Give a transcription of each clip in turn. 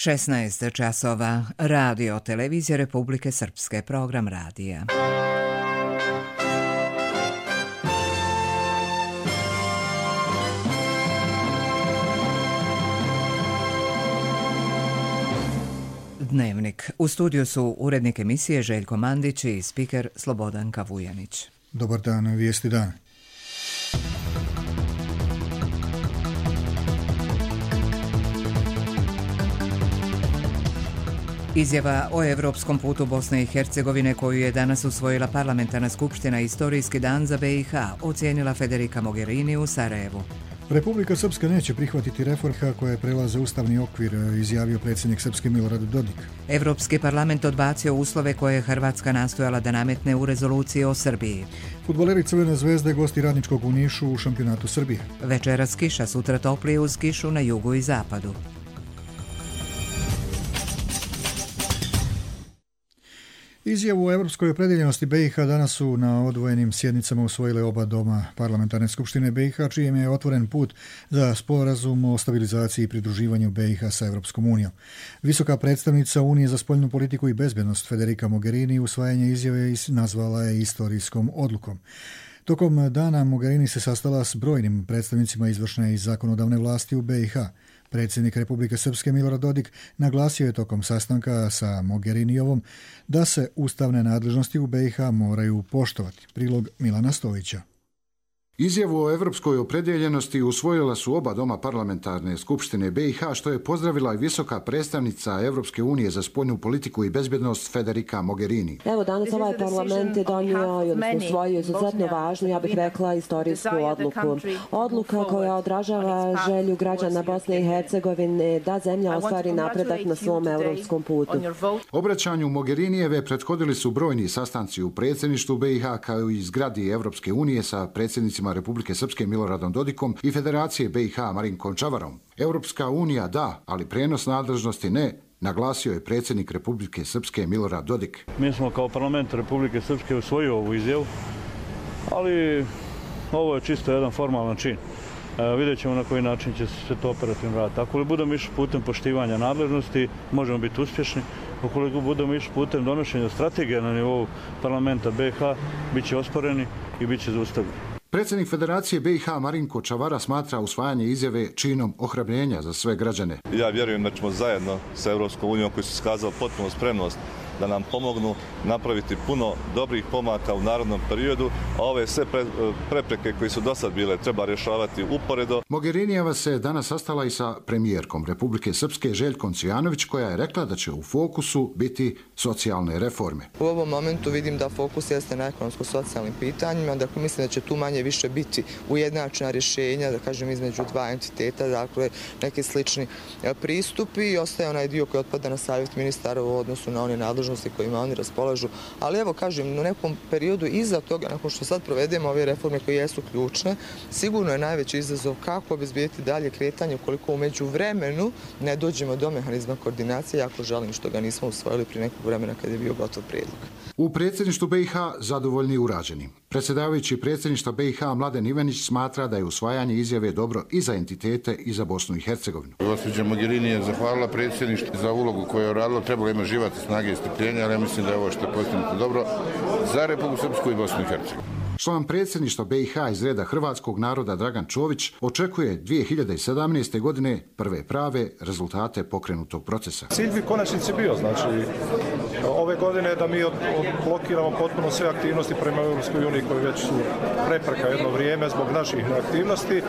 16 časova. Radio Televizija Republike Srpske. Program radija. Dnevnik. U studiju su urednik emisije Željko Mandić i spiker Slobodanka Vujanić. Dobar dan, vijesti dan. Izjava o evropskom putu Bosne i Hercegovine koju je danas usvojila parlamentarna skupština Istorijski dan za BiH, ocijenila Federica Mogherini u Sarajevu. Republika Srpska neće prihvatiti reforme koje prelaze ustavni okvir, izjavio predsjednik Srpske Milorad Dodik. Evropski parlament odbacio uslove koje je Hrvatska nastojala da nametne u rezoluciji o Srbiji. Fudbaleri Crvene zvezde gosti Radničkog u Nišu u šampionatu Srbije. Večeras kiša, sutra toplije uz kišu na jugu i zapadu. Izjavu o evropskoj opredjeljenosti BiH danas su na odvojenim sjednicama usvojile oba doma parlamentarne skupštine BiH, čijem je otvoren put za sporazum o stabilizaciji i pridruživanju BiH sa Evropskom unijom. Visoka predstavnica Unije za spoljnu politiku i bezbednost Federica Mogherini usvajanje izjave nazvala je istorijskom odlukom. Tokom dana Mogherini se sastala s brojnim predstavnicima izvršne i zakonodavne vlasti u BiH. Predsjednik Republike Srpske Milorad Dodik naglasio je tokom sastanka sa Mogherinijevom da se ustavne nadležnosti u BiH moraju poštovati. Prilog Milana Stojića. Izjavu o evropskoj opredjeljenosti usvojila su oba doma parlamentarne skupštine BiH, što je pozdravila i visoka predstavnica Evropske unije za spoljnu politiku i bezbjednost Federica Mogherini. Evo danas ovaj parlament je donio i usvojio izuzetno važnu, ja bih rekla, istorijsku odluku. Odluka koja odražava želju građana Bosne i Hercegovine da zemlja ostvari napredak na svom evropskom putu. Obraćanju Mogherinijeve prethodili su brojni sastanci u predsjedništvu BiH kao i zgradi Evropske unije sa predsjednicima Republike Srpske Miloradom Dodikom i Federacije BiH Marinkom Čavarom. Europska unija da, ali prijenos nadležnosti ne, naglasio je predsjednik Republike Srpske Milorad Dodik. Mi smo kao parlament Republike Srpske usvojili ovu izjavu, ali ovo je čisto jedan formalan čin. Vidjet ćemo na koji način će se to operativno raditi. Ako li budemo išli putem poštivanja nadležnosti, možemo biti uspješni. Ukoliko budemo išli putem donošenja strategije na nivou parlamenta BiH, bit će osporeni i bit će zaustavljeni. Predsjednik Federacije BiH Marinko Čavara smatra usvajanje izjave činom ohrabrenja za sve građane. Ja vjerujem da ćemo zajedno sa Evropskom unijom, koji su iskazali potpunu spremnost da nam pomognu napraviti puno dobrih pomaka u narednom periodu, a ove sve prepreke koje su do sad bile treba rješavati uporedo. Mogherinijeva se danas sastala i sa premijerkom Republike Srpske Željkom Cvijanović, koja je rekla da će u fokusu biti socijalne reforme. U ovom momentu vidim da fokus jeste na ekonomsko-socijalnim pitanjima, dakle mislim da će tu manje više biti ujednačena rješenja, da kažem, između dva entiteta, dakle neki slični pristupi, i ostaje onaj dio koji otpada na savjet ministara u odnosu na one nadležnosti kojima oni raspolažu. Ali evo, kažem, u nekom periodu iza toga, nakon što sad provedemo ove reforme koje jesu ključne, sigurno je najveći izazov kako obezbijeti dalje kretanje ukoliko u međuvremenu ne dođemo do mehanizma koordinacije, jako žalim što ga nismo usvojili prije nekog vremena kad je bio gotov prijedlog. U predsjedništvu BiH zadovoljni i urađeni. Predsjedavajući predsjedništva BiH Mladen Ivanić smatra da je usvajanje izjave dobro i za entitete i za Bosnu i Hercegovinu. Gospođa Mogherini je zahvalila predsjedništvu za ulogu koju je uradilo, trebalo ima živati snage i strpljenja, ali ja mislim da je ovo što je postignuto dobro za Republiku Srpsku i Bosnu i Hercegovinu. Član predsjedništva BiH iz reda hrvatskog naroda Dragan Čović očekuje 2017. godine prve prave rezultate pokrenutog procesa. Cilj bi konačnici bio, znači, ove godine da mi odblokiramo potpuno sve aktivnosti prema Europskoj uniji koji već su prepreka jedno vrijeme zbog naših aktivnosti,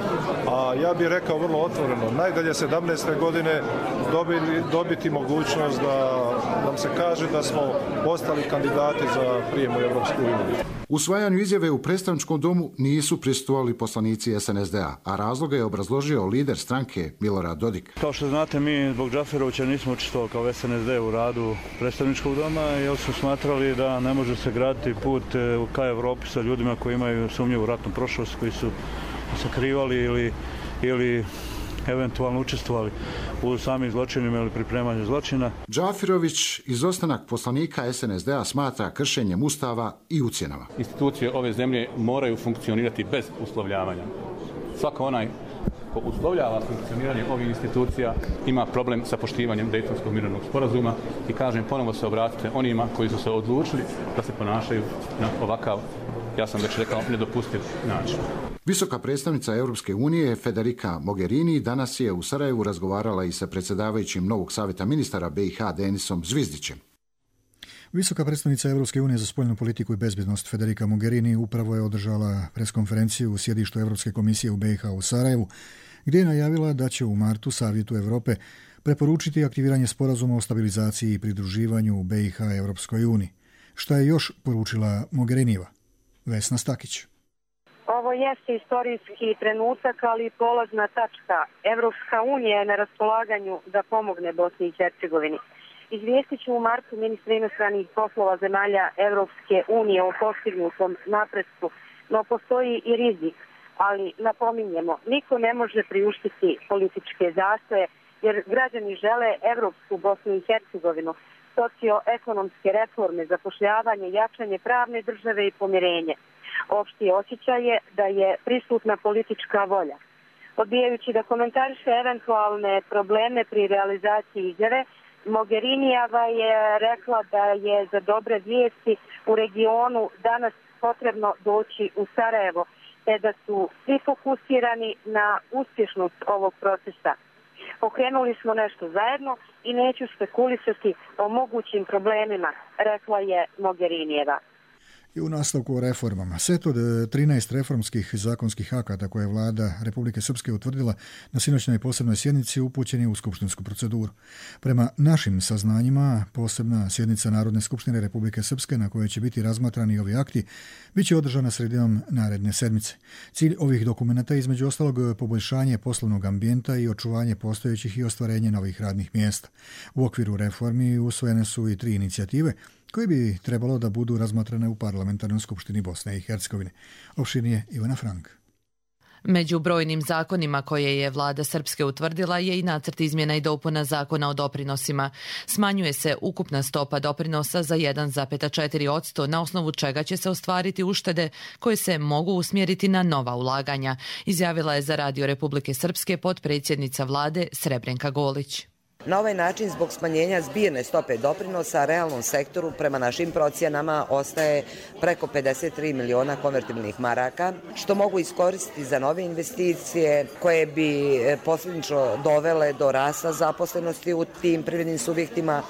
a ja bih rekao vrlo otvoreno, najdalje 17. godine dobiti mogućnost da nam se kaže da smo postali kandidati za prijem u Europsku uniju. Usvajanju izjave u predstavničkom domu nisu prisustvovali poslanici SNSD-a, a razloga je obrazložio lider stranke Milorad Dodik. Kao što znate, mi zbog Džaferovića nismo učestvovali kao SNSD u radu predstavničkog doma, jer su smatrali da ne može se graditi put ka Evropi sa ljudima koji imaju sumnjivu ratnu prošlost, koji su sakrivali ili eventualno učestvovali u samim zločinima ili pripremanju zločina. Džafirović izostanak poslanika SNSD-a smatra kršenjem Ustava i ucjenama. Institucije ove zemlje moraju funkcionirati bez uslovljavanja. Svako onaj ko uslovljava funkcioniranje ovih institucija ima problem sa poštivanjem Dejtonskog mirovnog sporazuma i kažem, ponovo se obratite onima koji su se odlučili da se ponašaju na ovakav, ja sam već rekao, nedopustiv način. Visoka predstavnica Europske unije Federica Mogherini danas je u Sarajevu razgovarala i sa predsjedavajućim novog savjeta ministara BiH Denisom Zvizdićem. Visoka predstavnica Europske unije za spoljnu politiku i bezbjednost Federica Mogherini upravo je održala preskonferenciju u sjedištu Europske komisije u BiH u Sarajevu, gdje je najavila da će u martu Savjetu Europe preporučiti aktiviranje sporazuma o stabilizaciji i pridruživanju BiH Europskoj uniji. Šta je još poručila Mogherinijeva? Vesna Stakić. Ovo jeste istorijski trenutak, ali i polazna tačka. Evropska unija je na raspolaganju da pomogne Bosni i Hercegovini. Izvijestit ću u martu ministra inostranih poslova zemalja Evropske unije o postignutom napretku, no postoji i rizik, ali napominjemo, niko ne može priuštiti političke zastoje, jer građani žele evropsku Bosnu i Hercegovinu, socioekonomske reforme, zapošljavanje, jačanje pravne države i pomirenje. Opšti osjećaj je da je prisutna politička volja. Odbijajući da komentariše eventualne probleme pri realizaciji izjave, Mogherinijeva je rekla da je za dobre vijesti u regionu danas potrebno doći u Sarajevo, te da su svi fokusirani na uspješnost ovog procesa. Pokrenuli smo nešto zajedno i neću spekulisati o mogućim problemima, rekla je Mogherinijeva. I u nastavku o reformama. Set od 13 reformskih zakonskih akata koje je vlada Republike Srpske utvrdila na sinoćnoj posebnoj sjednici upućen je u skupštinsku proceduru. Prema našim saznanjima, posebna sjednica Narodne skupštine Republike Srpske na kojoj će biti razmatrani ovi akti bit će održana sredinom naredne sedmice. Cilj ovih dokumenata je između ostalog poboljšanje poslovnog ambijenta i očuvanje postojećih i ostvarenje novih radnih mjesta. U okviru reformi usvojene su i 3 inicijative koje bi trebalo da budu razmatrane u Parlamentarnoj skupštini Bosne i Hercegovine. Opširnije Ivana Frank. Među brojnim zakonima koje je vlada Srpske utvrdila je i nacrt izmjena i dopuna zakona o doprinosima. Smanjuje se ukupna stopa doprinosa za 1,4%, na osnovu čega će se ostvariti uštede koje se mogu usmjeriti na nova ulaganja, izjavila je za Radio Republike Srpske potpredsjednica vlade Srebrenka Golić. Na ovaj način, zbog smanjenja zbirne stope doprinosa, realnom sektoru prema našim procjenama ostaje preko 53 miliona konvertibilnih maraka, što mogu iskoristiti za nove investicije koje bi posljedično dovele do rasta zaposlenosti u tim privrednim subjektima,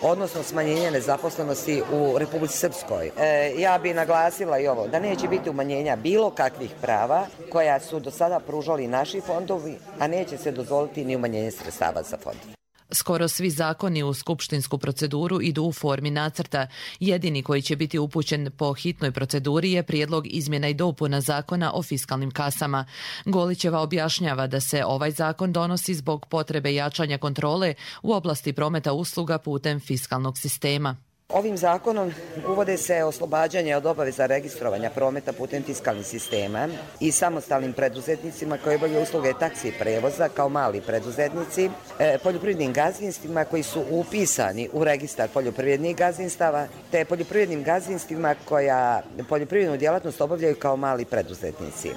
odnosno smanjenja nezaposlenosti u Republici Srpskoj. Ja bi naglasila i ovo, da neće biti umanjenja bilo kakvih prava koja su do sada pružali naši fondovi, a neće se dozvoliti ni umanjenje sredstava za fond. Skoro svi zakoni u skupštinsku proceduru idu u formi nacrta. Jedini koji će biti upućen po hitnoj proceduri je prijedlog izmjena i dopuna zakona o fiskalnim kasama. Golićeva objašnjava da se ovaj zakon donosi zbog potrebe jačanja kontrole u oblasti prometa usluga putem fiskalnog sistema. Ovim zakonom uvode se oslobađanje od obaveza registrovanja prometa putem fiskalnih sistema i samostalnim preduzetnicima koji obavljaju usluge taksi i prevoza kao mali preduzetnici, poljoprivrednim gazdinstvima koji su upisani u registar poljoprivrednih gazdinstava, te poljoprivrednim gazdinstvima koja poljoprivrednu djelatnost obavljaju kao mali preduzetnici.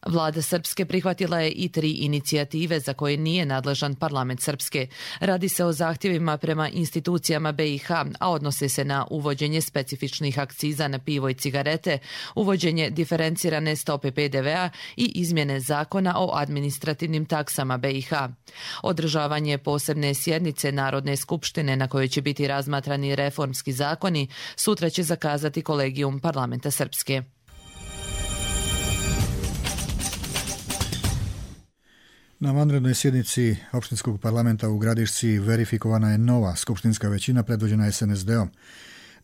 Vlada Srpske prihvatila je i 3 inicijative za koje nije nadležan parlament Srpske. Radi se o zahtjevima prema institucijama BiH, a odnose se na uvođenje specifičnih akciza na pivo i cigarete, uvođenje diferencirane stope PDV-a i izmjene zakona o administrativnim taksama BiH. Održavanje posebne sjednice Narodne skupštine na kojoj će biti razmatrani reformski zakoni sutra će zakazati kolegijum parlamenta Srpske. Na vanrednoj sjednici opštinskog parlamenta u Gradišci verifikovana je nova skupštinska većina predvođena SNSD-om.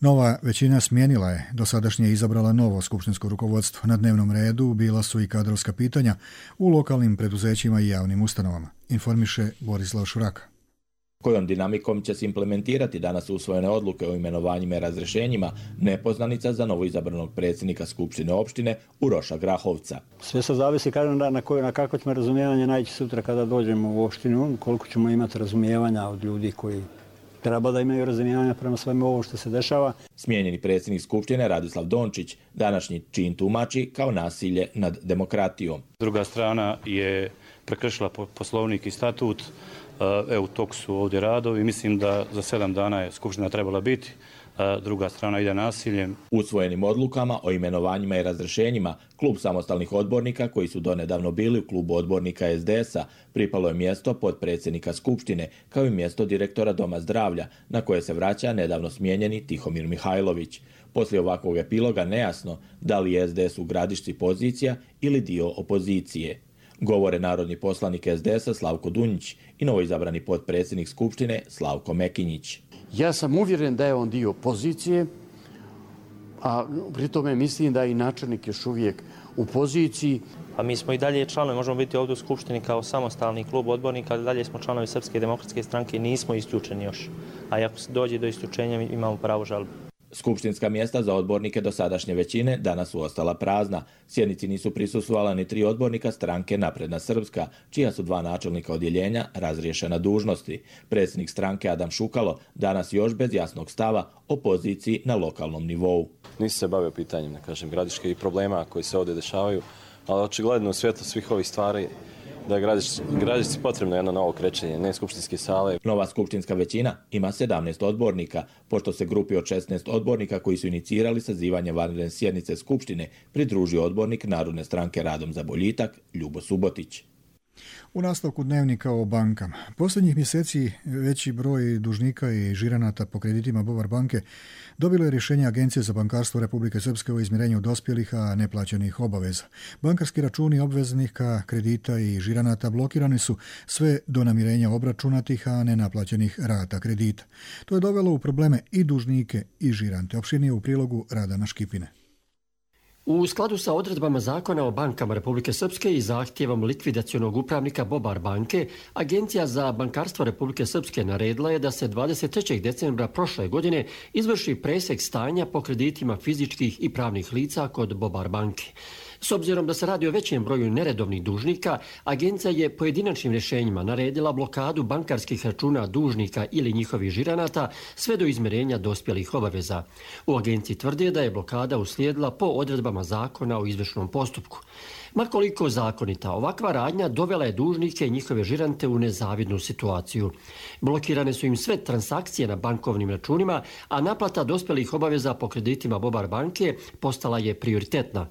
Nova većina smijenila je, dosadašnje izabrala novo skupštinsko rukovodstvo. Na dnevnom redu bila su i kadrovska pitanja u lokalnim preduzećima i javnim ustanovama, informiše Borislav Šuraka. Kojom dinamikom će se implementirati danas usvojene odluke o imenovanjima i razrješenjima, nepoznanica za novoizabranog predsjednika Skupštine opštine Uroša Grahovca. Sve se zavisi, kažem, na kako ćemo razumijevanje naći sutra kada dođemo u opštinu, koliko ćemo imati razumijevanja od ljudi koji treba da imaju razumijevanja prema svemu ovo što se dešava. Smijenjeni predsjednik Skupštine Radislav Dončić današnji čin tumači kao nasilje nad demokratijom. Druga strana je prekršila poslovnik i statut. U toku su ovdje radovi. Mislim da za 7 dana je Skupština trebala biti. Druga strana ide nasiljem. Usvojenim odlukama o imenovanjima i razrješenjima klub samostalnih odbornika koji su donedavno bili u klubu odbornika SDS-a pripalo je mjesto potpredsjednika Skupštine kao i mjesto direktora Doma zdravlja na koje se vraća nedavno smijenjeni Tihomir Mihajlović. Poslije ovakvog epiloga nejasno da li je SDS u Gradišci pozicija ili dio opozicije. Govore narodni poslanik SDS-a Slavko Dunjić i novoizabrani potpredsjednik Skupštine Slavko Mekinjić. Ja sam uvjeren da je on dio pozicije, a pri tome mislim da je i načelnik još uvijek u poziciji. A mi smo i dalje članovi, možemo biti ovdje u Skupštini kao samostalni klub odbornika, ali dalje smo članovi Srpske demokratske stranke i nismo isključeni još. A ako se dođe do isključenja, imamo pravo žalbe. Skupštinska mjesta za odbornike dosadašnje većine danas su ostala prazna. Sjednici nisu prisustvovala ni 3 odbornika stranke Napredna Srpska, čija su 2 načelnika odjeljenja razriješena dužnosti. Predsjednik stranke Adam Šukalo danas još bez jasnog stava o poziciji na lokalnom nivou. Nisam se bavio pitanjem, Gradiške i problema koji se ovdje dešavaju, ali očigledno u svjetlu svih ovih stvari da je Gradišci potrebno jedno novo krećenje, ne skupštinske sale. Nova skupštinska većina ima 17 odbornika, pošto se grupi od 16 odbornika koji su inicirali sazivanje vanredne sjednice Skupštine pridružio odbornik Narodne stranke Radom za boljitak Ljubo Subotić. U nastavku dnevnika o bankama. Posljednjih mjeseci veći broj dužnika i žiranata po kreditima Bobar banke dobilo je rješenje Agencije za bankarstvo Republike Srpske o izmirenju dospjelih, a neplaćenih obaveza. Bankarski računi obveznika kredita i žiranata blokirani su sve do namirenja obračunatih, a nenaplaćenih rata kredita. To je dovelo u probleme i dužnike i žirante. Opširnije u prilogu Radana Škipine. U skladu sa odredbama Zakona o bankama Republike Srpske i zahtjevom likvidacionog upravnika Bobar banke, Agencija za bankarstvo Republike Srpske naredila je da se 23. decembra prošle godine izvrši presek stanja po kreditima fizičkih i pravnih lica kod Bobar banke. S obzirom da se radi o većem broju neredovnih dužnika, agencija je pojedinačnim rješenjima naredila blokadu bankarskih računa dužnika ili njihovih žiranata sve do izmirenja dospjelih obaveza. U agenciji tvrde da je blokada uslijedila po odredbama Zakona o izvršnom postupku. Makoliko zakonita, ovakva radnja dovela je dužnike i njihove žirante u nezavidnu situaciju. Blokirane su im sve transakcije na bankovnim računima, a naplata dospjelih obaveza po kreditima Bobar banke postala je prioritetna.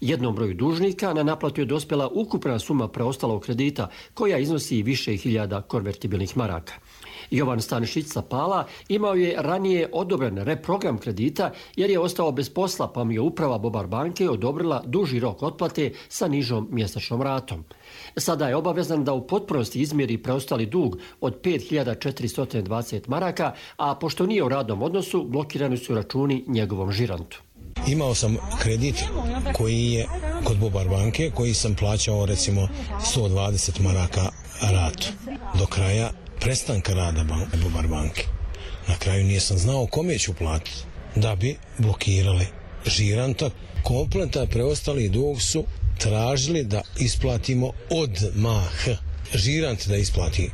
Jednom broju dužnika na naplatu je dospjela ukupna suma preostalog kredita, koja iznosi više hiljada konvertibilnih maraka. Jovan Stanišić sa Pala imao je ranije odobren reprogram kredita jer je ostao bez posla, pa mu je uprava Bobar banke odobrila duži rok otplate sa nižom mjesečnom ratom. Sada je obavezan da u potpunosti izmjeri preostali dug od 5420 maraka, a pošto nije u radnom odnosu, blokirani su računi njegovom žirantu. Imao sam kredit koji je kod Bobar banke, koji sam plaćao recimo 120 maraka ratu do kraja prestanka rada Bobar banke. Na kraju nisam znao kome ću platiti da bi blokirali žiranta. Kompletan preostali dug su tražili da isplatimo odmah. Žirant da isplati.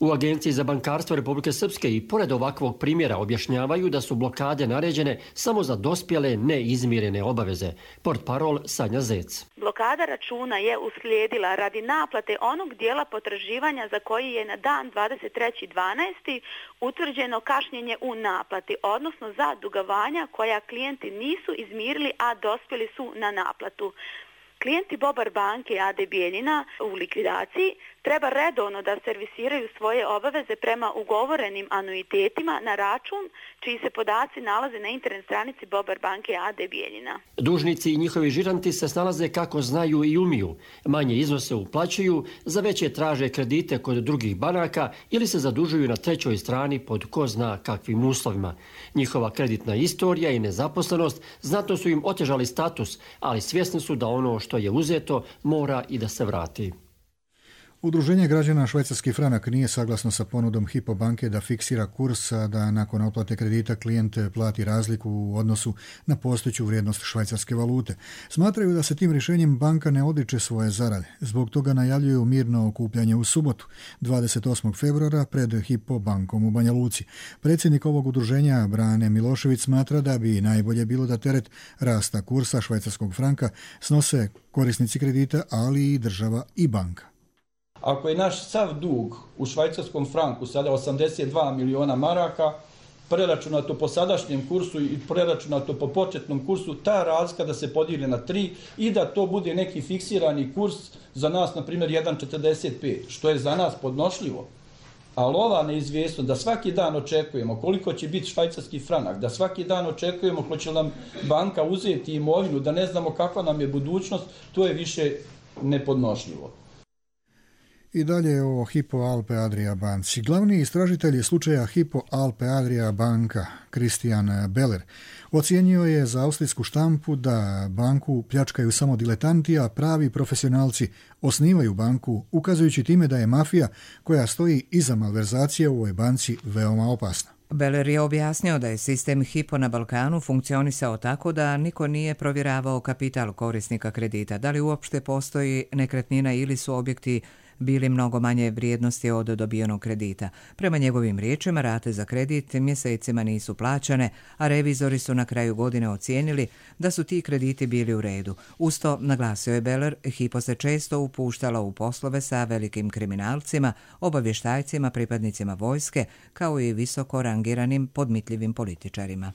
U Agenciji za bankarstvo Republike Srpske i pored ovakvog primjera objašnjavaju da su blokade naređene samo za dospjele neizmirene obaveze. Portparol Sanja Zec. Blokada računa je uslijedila radi naplate onog dijela potraživanja za koji je na dan 23.12. utvrđeno kašnjenje u naplati, odnosno za dugovanja koja klijenti nisu izmirili, a dospjeli su na naplatu. Klijenti Bobar banke AD Bijeljina u likvidaciji treba redovno da servisiraju svoje obaveze prema ugovorenim anuitetima na račun čiji se podaci nalaze na internet stranici Bobar banke AD Bijeljina. Dužnici i njihovi žiranti se snalaze kako znaju i umiju. Manje iznose uplaćuju, za veće traže kredite kod drugih banaka ili se zadužuju na trećoj strani pod ko zna kakvim uslovima. Njihova kreditna istorija i nezaposlenost znatno su im otežali status, ali svjesni su da ono što je uzeto mora i da se vrati. Udruženje građana Švajcarski franak nije saglasno sa ponudom Hypo banke da fiksira kurs, a da nakon otplate kredita klijent plati razliku u odnosu na postojeću vrijednost švajcarske valute. Smatraju da se tim rješenjem banka ne odriče svoje zarade. Zbog toga najavljuju mirno okupljanje u subotu, 28. februara, pred Hypo bankom u Banja Luci. Predsjednik ovog udruženja, Brane Milošević, smatra da bi najbolje bilo da teret rasta kursa švajcarskog franka snose korisnici kredita, ali i država i banka. Ako je naš sav dug u švajcarskom franku sada 82 miliona maraka, preračunato po sadašnjem kursu i preračunato po početnom kursu, ta razlika da se podijeli na 3 i da to bude neki fiksirani kurs za nas, na primjer, 1,45, što je za nas podnošljivo. Ali ova neizvjesnost da svaki dan očekujemo koliko će biti švajcarski franak, da svaki dan očekujemo hoće li nam banka uzeti imovinu, da ne znamo kakva nam je budućnost, to je više nepodnošljivo. I dalje o Hypo Alpe Adria banci. Glavni istražitelj slučaja Hypo Alpe Adria banka, Christian Beller, ocijenio je za austrijsku štampu da banku pljačkaju samo diletanti, a pravi profesionalci osnivaju banku, ukazujući time da je mafija koja stoji iza malverzacije u ovoj banci veoma opasna. Beller je objasnio da je sistem Hypo na Balkanu funkcionisao tako da niko nije provjeravao kapital korisnika kredita, da li uopšte postoji nekretnina ili su objekti bili mnogo manje vrijednosti od dobijenog kredita. Prema njegovim riječima, rate za kredit mjesecima nisu plaćane, a revizori su na kraju godine ocijenili da su ti krediti bili u redu. Usto, naglasio je Beller, Hypo se često upuštala u poslove sa velikim kriminalcima, obavještajcima, pripadnicima vojske, kao i visoko rangiranim podmitljivim političarima.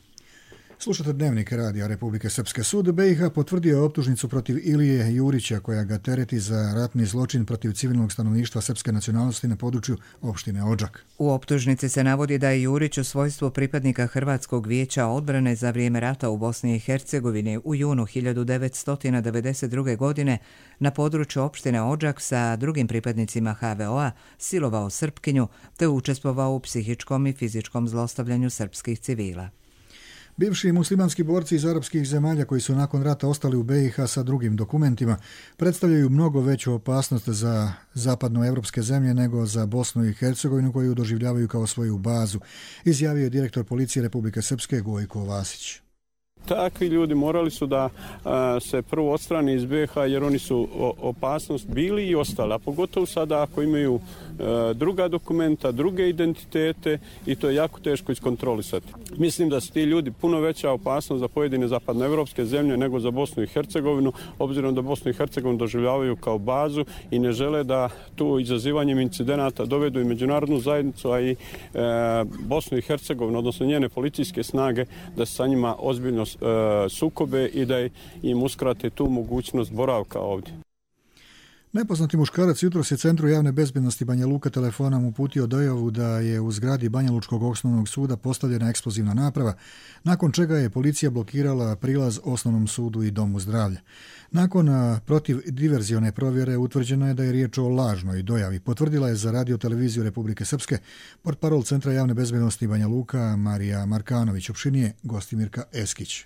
Slušate Dnevnik radija Republike Srpske. Sud BiH potvrdio je optužnicu protiv Ilije Jurića koja ga tereti za ratni zločin protiv civilnog stanovništva srpske nacionalnosti na području opštine Odžak. U optužnici se navodi da je Jurić u svojstvu pripadnika Hrvatskog vijeća odbrane za vrijeme rata u Bosni i Hercegovini u junu 1992. godine na području opštine Odžak sa drugim pripadnicima HVO-a silovao Srpkinju te učestvovao u psihičkom i fizičkom zlostavljanju srpskih civila. Bivši muslimanski borci iz arapskih zemalja koji su nakon rata ostali u BiH sa drugim dokumentima predstavljaju mnogo veću opasnost za zapadnoevropske zemlje nego za Bosnu i Hercegovinu koju doživljavaju kao svoju bazu, izjavio je direktor policije Republike Srpske Gojko Vasić. Takvi ljudi morali su da se prvo odstrane iz BiH jer oni su opasnost bili i ostali, a pogotovo sada ako imaju druga dokumenta, druge identitete i to je jako teško iskontrolisati. Mislim da su ti ljudi puno veća opasnost za pojedine zapadnoevropske zemlje nego za Bosnu i Hercegovinu, obzirom da Bosnu i Hercegovinu doživljavaju kao bazu i ne žele da tu izazivanjem incidenata dovedu i međunarodnu zajednicu, a i Bosnu i Hercegovinu, odnosno njene policijske snage, da se sa njima ozbiljno sukobe i da im uskrate tu mogućnost boravka ovdje. Nepoznati muškarac jutros je Centru javne bezbednosti Banja Luka telefonom uputio dojavu da je u zgradi Banja Lučkog osnovnog suda postavljena eksplozivna naprava, nakon čega je policija blokirala prilaz osnovnom sudu i domu zdravlja. Nakon protivdiverzione provjere utvrđeno je da je riječ o lažnoj dojavi. Potvrdila je za Radio-televiziju Republike Srpske portparol Centra javne bezbednosti Banja Luka Marija Markanović, opštinije Gostimirka Eskić.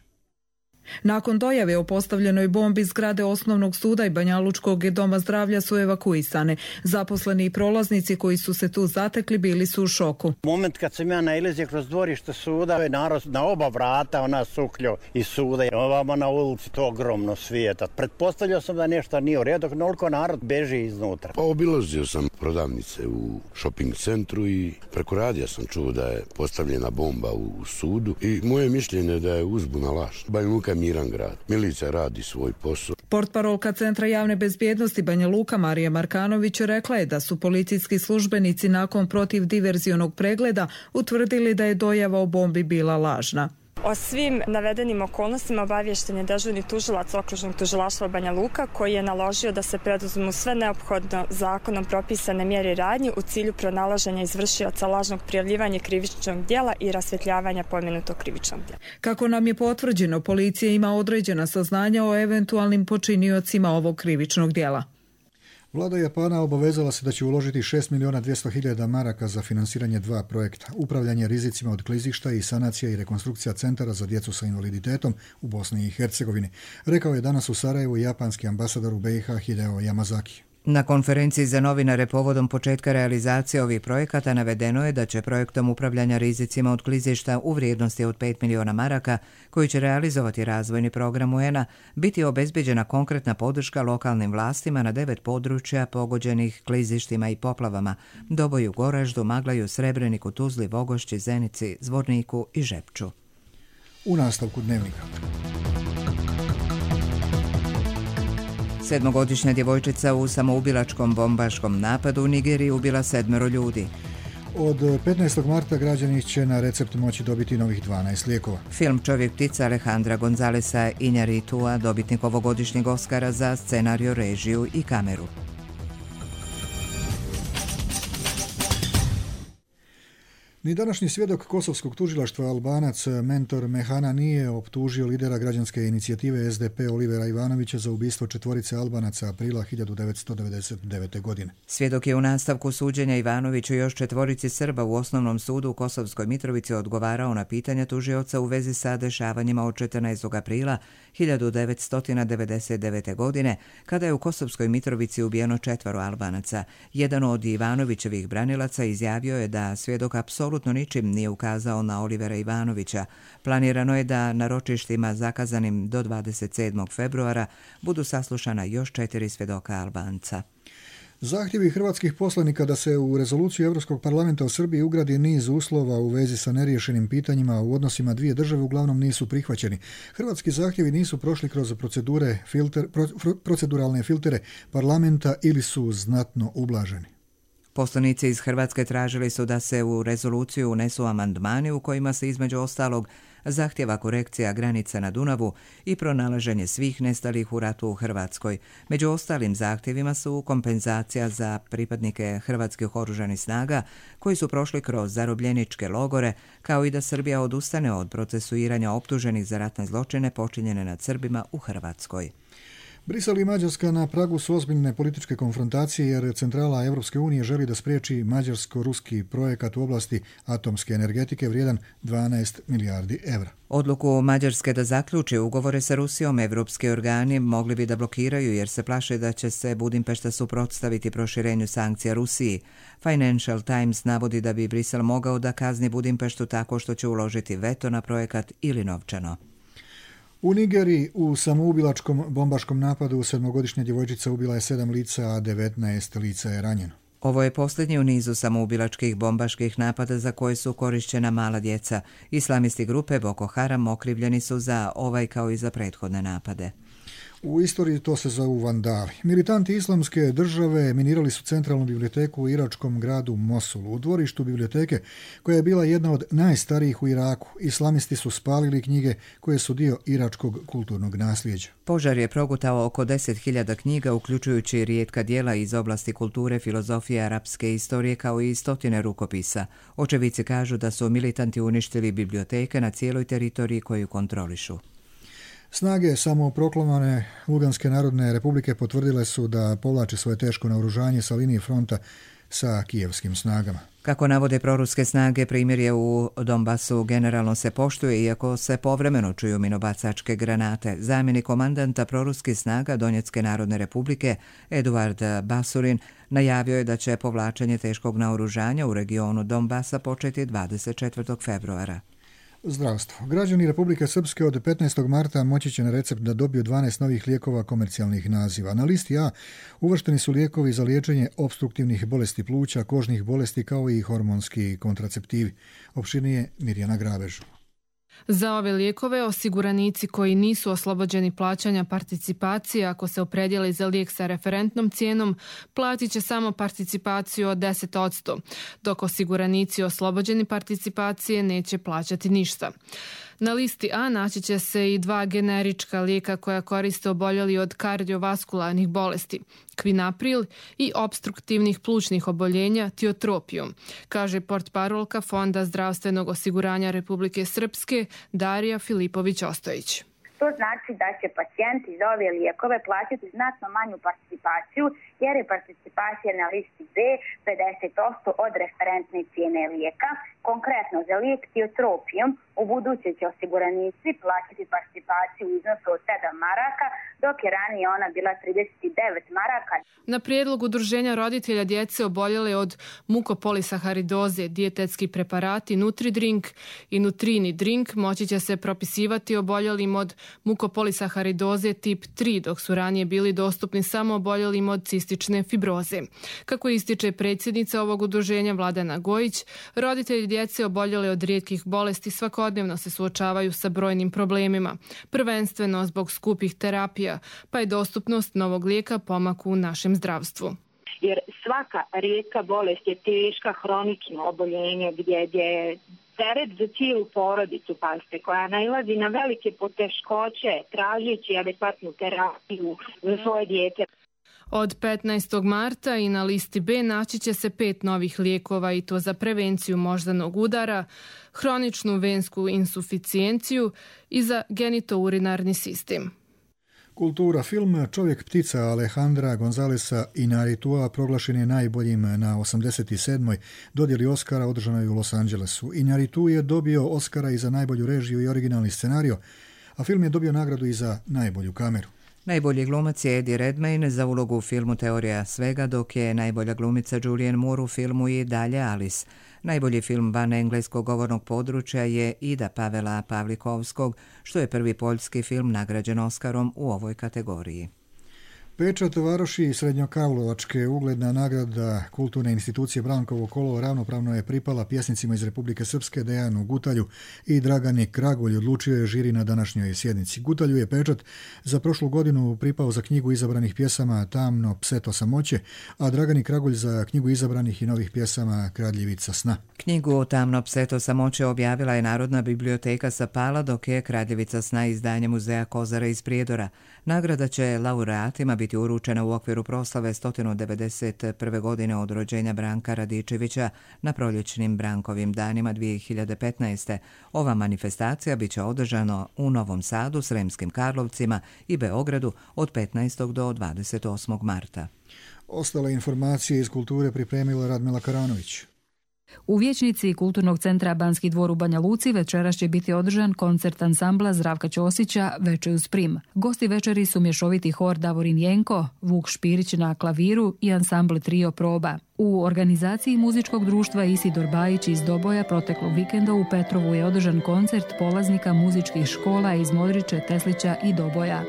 Nakon dojave o postavljenoj bombi zgrade osnovnog suda i Banjalučkog doma zdravlja su evakuisane. Zaposleni i prolaznici koji su se tu zatekli bili su u šoku. Moment kad sam ja nailazio kroz dvorište suda, je narod na oba vrata, ona sukljo iz suda, ovamo na ulici to ogromno svijeta. Pretpostavljao sam da nešto nije u redu, koliko narod beži iznutra. Pa obilazio sam prodavnice u shopping centru i preko radija sam čuo da je postavljena bomba u sudu i moje mišljenje da je uzbuna laž. Banja Luka miran grad. Milicija radi svoj posao. Portparolka Centra javne bezbjednosti Banja Luka Marija Markanović rekla je da su policijski službenici nakon protivdiverzionog pregleda utvrdili da je dojava o bombi bila lažna. O svim navedenim okolnostima obaviješten je dežurni tužilac okružnog tužilaštva Banja Luka koji je naložio da se preduzmu sve neophodno zakonom propisane mjere i radnje u cilju pronalaženja izvršioca lažnog prijavljivanja krivičnog djela i rasvjetljavanja pomenutog krivičnog djela. Kako nam je potvrđeno, policija ima određena saznanja o eventualnim počiniocima ovog krivičnog djela. Vlada Japana obavezala se da će uložiti 6.200.000 maraka za finansiranje 2 projekta. Upravljanje rizicima od klizišta i sanacija i rekonstrukcija centara za djecu sa invaliditetom u Bosni i Hercegovini, rekao je danas u Sarajevu japanski ambasador u BiH Hideo Yamazaki. Na konferenciji za novinare povodom početka realizacije ovih projekata navedeno je da će projektom upravljanja rizicima od klizišta u vrijednosti od 5 miliona maraka, koji će realizovati razvojni program UN-a, biti obezbeđena konkretna podrška lokalnim vlastima na 9 područja pogođenih klizištima i poplavama: Doboju, Goraždu, Maglaju, Srebreniku, Tuzli, Vogošći, Zenici, Zvorniku i Žepču. U nastavku Dnevnika. 7-godišnja djevojčica u samoubilačkom bombaškom napadu u Nigeriji ubila 7 ljudi. Od 15. marta građani će na recept moći dobiti novih 12 lijekova. Film Čovjek ptica Alejandra Gonzalesa Iñárritua, dobitnik ovogodišnjeg Oscara za scenariju, režiju i kameru. Ni današnji svjedok kosovskog tužilaštva Albanac Mentor Mehana nije optužio lidera građanske inicijative SDP Olivera Ivanovića za ubistvo 4 Albanaca aprila 1999. godine. Svjedok je u nastavku suđenja Ivanoviću i još 4 Srba u osnovnom sudu u Kosovskoj Mitrovici odgovarao na pitanja tužioca u vezi sa dešavanjima od 14. aprila 1999. godine, kada je u Kosovskoj Mitrovici ubijeno 4 Albanaca. Jedan od Ivanovićevih branilaca izjavio je da svjedok apsolutno ničim nije ukazao na Olivera Ivanovića. Planirano je da na ročištima zakazanim do 27. februara budu saslušana još 4 svjedoka Albanca. Zahtjevi hrvatskih poslanika da se u rezoluciju Europskog parlamenta o Srbiji ugradi niz uslova u vezi sa neriješenim pitanjima u odnosima dvije države uglavnom nisu prihvaćeni. Hrvatski zahtjevi nisu prošli kroz proceduralne filtere parlamenta ili su znatno ublaženi. Poslanici iz Hrvatske tražili su da se u rezoluciju unesu amandmani u kojima se između ostalog zahtjeva korekcija granica na Dunavu i pronalaženje svih nestalih u ratu u Hrvatskoj. Među ostalim zahtjevima su kompenzacija za pripadnike hrvatskih oružanih snaga koji su prošli kroz zarobljeničke logore, kao i da Srbija odustane od procesuiranja optuženih za ratne zločine počinjene nad Srbima u Hrvatskoj. Brisel i Mađarska na pragu su ozbiljne političke konfrontacije jer centrala Europske unije želi da spriječi mađarsko-ruski projekat u oblasti atomske energetike vrijedan 12 milijardi evra. Odluku Mađarske da zaključi ugovore sa Rusijom evropski organi mogli bi da blokiraju jer se plaše da će se Budimpešta suprotstaviti proširenju sankcija Rusiji. Financial Times navodi da bi Brisel mogao da kazni Budimpeštu tako što će uložiti veto na projekat ili novčano. U Nigeriji u samoubilačkom bombaškom napadu 7-godišnja djevojčica ubila je 7 lica, a 19 lica je ranjeno. Ovo je posljednji u nizu samoubilačkih bombaških napada za koje su korišćena mala djeca. Islamisti grupe Boko Haram okrivljeni su za ovaj kao i za prethodne napade. U istoriji to se zovu vandali. Militanti islamske države minirali su centralnu biblioteku u iračkom gradu Mosulu. U dvorištu biblioteke, koja je bila jedna od najstarijih u Iraku, islamisti su spalili knjige koje su dio iračkog kulturnog nasljeđa. Požar je progutao oko 10.000 knjiga, uključujući rijetka djela iz oblasti kulture, filozofije, arapske istorije, kao i 100 rukopisa. Očevici kažu da su militanti uništili biblioteke na cijeloj teritoriji koju kontrolišu. Snage samoproklamane Luganske narodne republike potvrdile su da povlače svoje teško naoružanje sa linije fronta sa kijevskim snagama. Kako navode proruske snage, primirje u Donbasu generalno se poštuje, iako se povremeno čuju minobacačke granate. Zamjenik komandanta proruskih snaga Donjecke narodne republike Eduard Basurin najavio je da će povlačenje teškog naoružanja u regionu Donbasa početi 24. februara. Zdravstvo. Građani Republike Srpske od 15. marta moći će na recept da dobiju 12 novih lijekova komercijalnih naziva. Na listi A uvršteni su lijekovi za liječenje opstruktivnih bolesti pluća, kožnih bolesti kao i hormonski kontraceptivi. Opširnije Mirjana Grabež. Za ove lijekove osiguranici koji nisu oslobođeni plaćanja participacije ako se opredijeli za lijek sa referentnom cijenom platit će samo participaciju od 10%, dok osiguranici oslobođeni participacije neće plaćati ništa. Na listi A naći će se i 2 generička lijeka koja koriste oboljeli od kardiovaskularnih bolesti, Kvinapril i obstruktivnih plućnih oboljenja Tiotropium, kaže portparolka Fonda zdravstvenog osiguranja Republike Srpske Darija Filipović-Ostojić. To znači da će pacijenti za ove lijekove plaćati znatno manju participaciju jer je participacija na listi B 50% od referentne cijene lijeka. Konkretno za lijek Tiotropium u buduće će osiguranici plaćati participaciju u iznosu od 7 maraka, dok je ranije ona bila 39 maraka. Na prijedlog Udruženja roditelja djece oboljele od mukopolisaharidoze dijetetski preparati Nutridrink i Nutrini Drink moći će se propisivati oboljelim od mukopolisaharidoze tip 3, dok su ranije bili dostupni samo oboljelim od cistične fibroze. Kako ističe predsjednica ovog udruženja Vladana Gojić, roditelji djece oboljele od rijetkih bolesti svakodnevno se suočavaju sa brojnim problemima, prvenstveno zbog skupih terapija, pa je dostupnost novog lijeka pomak u našem zdravstvu. Jer svaka rijetka bolest je teška, hronično oboljenje gdje je teret za cijelu porodicu, pazite, koja nailazi na velike poteškoće tražeći adekvatnu terapiju za svoje dijete. Od 15. marta i na listi B naći će se 5 novih lijekova i to za prevenciju moždanog udara, hroničnu vensku insuficijenciju i za genitourinarni sistem. Kultura, film Čovjek ptica Alejandra Gonzalesa Iñárritua proglašen je najboljim na 87. dodjeli Oscara održanoj u Los Angelesu. Iñárritu je dobio Oscara i za najbolju režiju i originalni scenario, a film je dobio nagradu i za najbolju kameru. Najbolji glumac je Eddie Redmayne za ulogu u filmu Teorija svega, dok je najbolja glumica Julianne Moore u filmu I dalje Alice. Najbolji film van engleskog govornog područja je Ida Pavela Pavlikovskog, što je prvi poljski film nagrađen Oskarom u ovoj kategoriji. Pečat Varoši Srednjokarlovačke, ugledna nagrada kulturne institucije Brankovo kolo, ravnopravno je pripala pjesnicima iz Republike Srpske Dejanu Gutalju i Dragani Kragulj, odlučio je žiri na današnjoj sjednici. Gutalju je pečat za prošlu godinu pripao za knjigu izabranih pjesama Tamno pseto samoće, a Dragani Kragulj za knjigu izabranih i novih pjesama Kradljivica sna. Knjigu Tamno pseto samoće objavila je Narodna biblioteka Sapala, dok je Kradljivica sna izdanje Muzeja Kozara iz Prijedora. Nagrada će laureatima biti uručena u okviru proslave 191. godine od rođenja Branka Radičevića na proljećnim Brankovim danima 2015. Ova manifestacija biće održana u Novom Sadu, Sremskim Karlovcima i Beogradu od 15. do 28. marta. Ostale informacije iz kulture pripremila Radmila Karanović. U vijećnici Kulturnog centra Banski dvor u Banja Luci večeras će biti održan koncert ansambla Zdravka Ćosića Veče uz prim. Gosti večeri su mješoviti hor Davorin Jenko, Vuk Špirić na klaviru i ansambl Trio Proba. U organizaciji muzičkog društva Isidor Bajić iz Doboja proteklog vikenda u Petrovu je održan koncert polaznika muzičkih škola iz Modriče, Teslića i Doboja.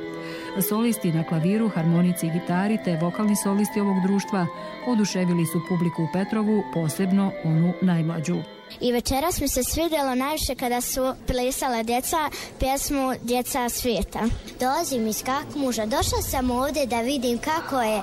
Solisti na klaviru, harmonici i gitari te vokalni solisti ovog društva oduševili su publiku u Petrovu, posebno onu najmlađu. I večeras mi se svidjelo najviše kada su plesala djeca pjesmu Djeca svijeta. Dolazim iz Kakmuža, došla sam ovdje da vidim kako je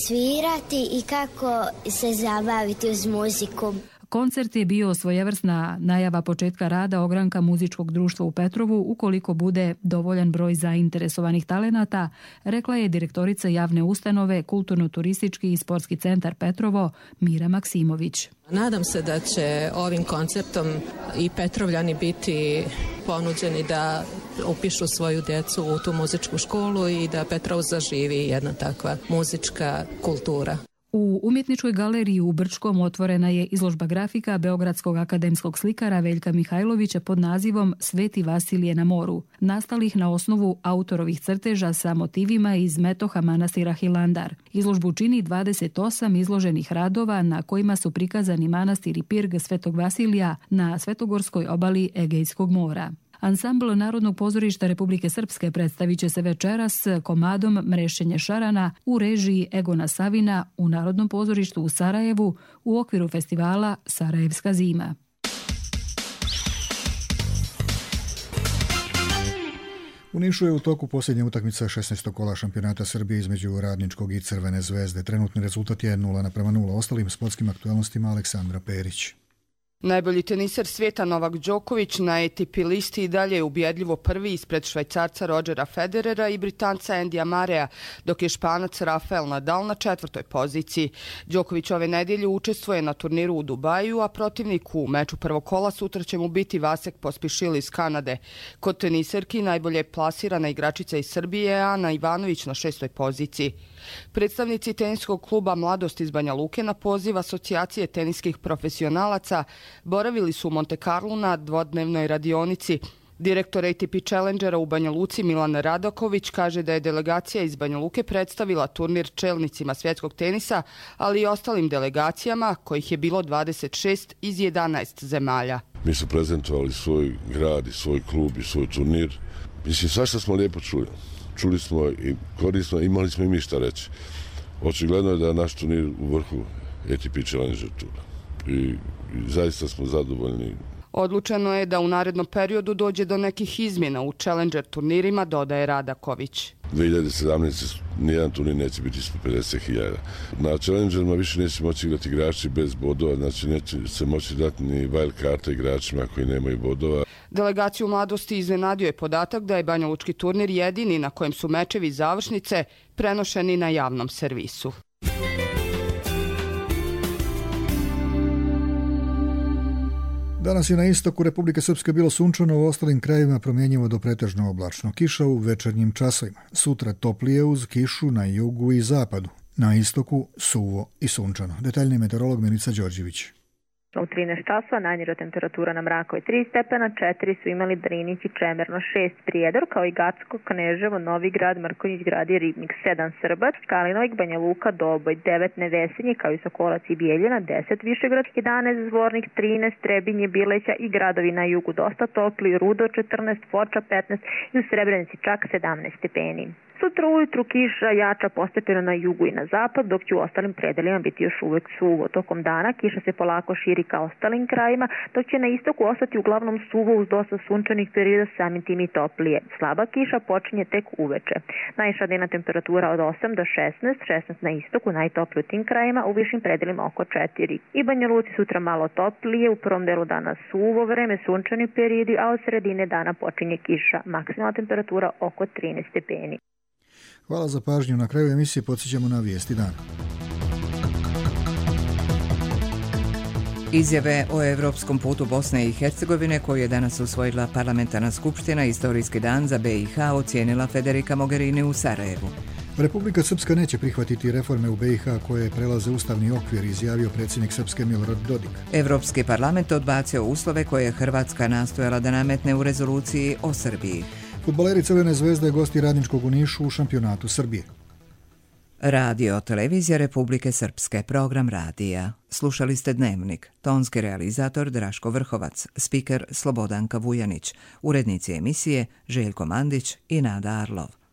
svirati i kako se zabaviti uz muziku. Koncert je bio svojevrsna najava početka rada ogranka muzičkog društva u Petrovu ukoliko bude dovoljan broj zainteresovanih talenata, rekla je direktorica javne ustanove Kulturno-turistički i sportski centar Petrovo Mira Maksimović. Nadam se da će ovim koncertom i Petrovljani biti ponuđeni da upišu svoju djecu u tu muzičku školu i da Petrov zaživi jedna takva muzička kultura. U umjetničkoj galeriji u Brčkom otvorena je izložba grafika beogradskog akademskog slikara Veljka Mihajlovića pod nazivom Sveti Vasilije na moru, nastalih na osnovu autorovih crteža sa motivima iz metoha manastira Hilandar. Izložbu čini 28 izloženih radova na kojima su prikazani manastir i pirg Svetog Vasilija na svetogorskoj obali Egejskog mora. Ansambl Narodnog pozorišta Republike Srpske predstavit će se večeras komadom Mrešenje šarana u režiji Egona Savina u Narodnom pozorištu u Sarajevu u okviru festivala Sarajevska zima. U Nišu je u toku posljednja utakmica 16. kola šampionata Srbije između Radničkog i Crvene zvezde. Trenutni rezultat je 0:0. Ostalim sportskim aktualnostima Aleksandra Perić. Najbolji teniser svijeta Novak Đoković na ATP listi i dalje je ubjedljivo prvi ispred Švajcarca Rodgera Federera i Britanca Andyja Murraya, dok je Španac Rafael Nadal na 4. poziciji. Đoković ove nedjelje učestvuje na turniru u Dubaju, a protivnik u meču prvog kola sutra će mu biti Vasek Pospišil iz Kanade. Kod teniserki najbolje je plasirana igračica iz Srbije Ana Ivanović na 6. poziciji. Predstavnici teniskog kluba Mladost iz Banja Luke na poziv Asocijacije teniskih profesionalaca boravili su u Monte Carlu na dvodnevnoj radionici. Direktor ATP Challengera u Banja Luci Milan Radaković kaže da je delegacija iz Banja Luke predstavila turnir čelnicima svjetskog tenisa, ali i ostalim delegacijama, kojih je bilo 26 iz 11 zemalja. Mi su prezentovali svoj grad i svoj klub i svoj turnir. Mislim, svašta smo lijepo čuli. Čuli smo i korisno, imali smo i mi šta reći. Očigledno je da je naš turnir u vrhu ATP Challenger tura. I i zaista smo zadovoljni. Odlučeno je da u narednom periodu dođe do nekih izmjena u Challenger turnirima, dodaje Radaković. 2017. nijedan turnir neće biti ispod 50.000. Na Challengerima više neće moći igrati igrači bez bodova, znači neće se moći dati ni wild karta igračima koji nemaju bodova. Delegaciju mladosti iznenadio je podatak da je banjalučki turnir jedini na kojem su mečevi završnice prenošeni na javnom servisu. Danas je na istoku Republike Srpske bilo sunčano, u ostalim krajevima promjenjivo do pretežno oblačno. Kiša u večernjim časovima. Sutra toplije uz kišu na jugu i zapadu. Na istoku suvo i sunčano. Detaljni meteorolog Milica Đorđević. U 13 časova najniža temperatura na Mrakovi 3 stepena, 4 su imali Drinić i Čemerno, 6 Prijedor, kao i Gacko, Kneževo, Novi Grad, Mrkonjić Grad i Ribnik, 7 Srbac, Kalinovik, Banja Luka, Doboj, 9 Nevesinje, kao i Sokolac i Bijeljina, 10 Višegrad, 11 Zvornik, 13 Trebinje, Bileća i gradovi na jugu dosta topli, Rudo 14, Foča 15 i u Srebrenici čak 17 stepeni. Sutra ujutru kiša jača postepeno na jugu i na zapad, dok će u ostalim predelima biti još uvek suvo. Tokom dana kiša se polako širi ka ostalim krajima, dok će na istoku ostati uglavnom suvo uz dosta sunčanih perioda, samim tim i toplije. Slaba kiša počinje tek uveče. Najviša dnevna temperatura od 8 do 16 na istoku, najtoplije u tim krajima, u višim predelima oko 4. I Banja Luci sutra malo toplije, u prvom delu dana suvo vreme, sunčani periodi, a od sredine dana počinje kiša. Maksimalna temperatura oko 13 stepeni. Hvala za pažnju. Na kraju emisije podsjećamo na vijesti dana. Izjave o evropskom putu Bosne i Hercegovine koju je danas usvojila parlamentarna skupština istorijski dan za BiH ocijenila Federica Mogherini u Sarajevu. Republika Srpska neće prihvatiti reforme u BiH koje prelaze ustavni okvir, izjavio predsjednik Srpske Milorad Dodik. Evropski parlament odbacio uslove koje je Hrvatska nastojala da nametne u rezoluciji o Srbiji. Fudbaleri Crvene zvezde gosti Radničkog u Nišu u šampionatu Srbije. Radio Televizija Republike Srpske, program radija. Slušali ste Dnevnik, tonski realizator Draško Vrhovac, spiker Slobodanka Vujanić, urednici emisije Željko Mandić i Nada Arlov.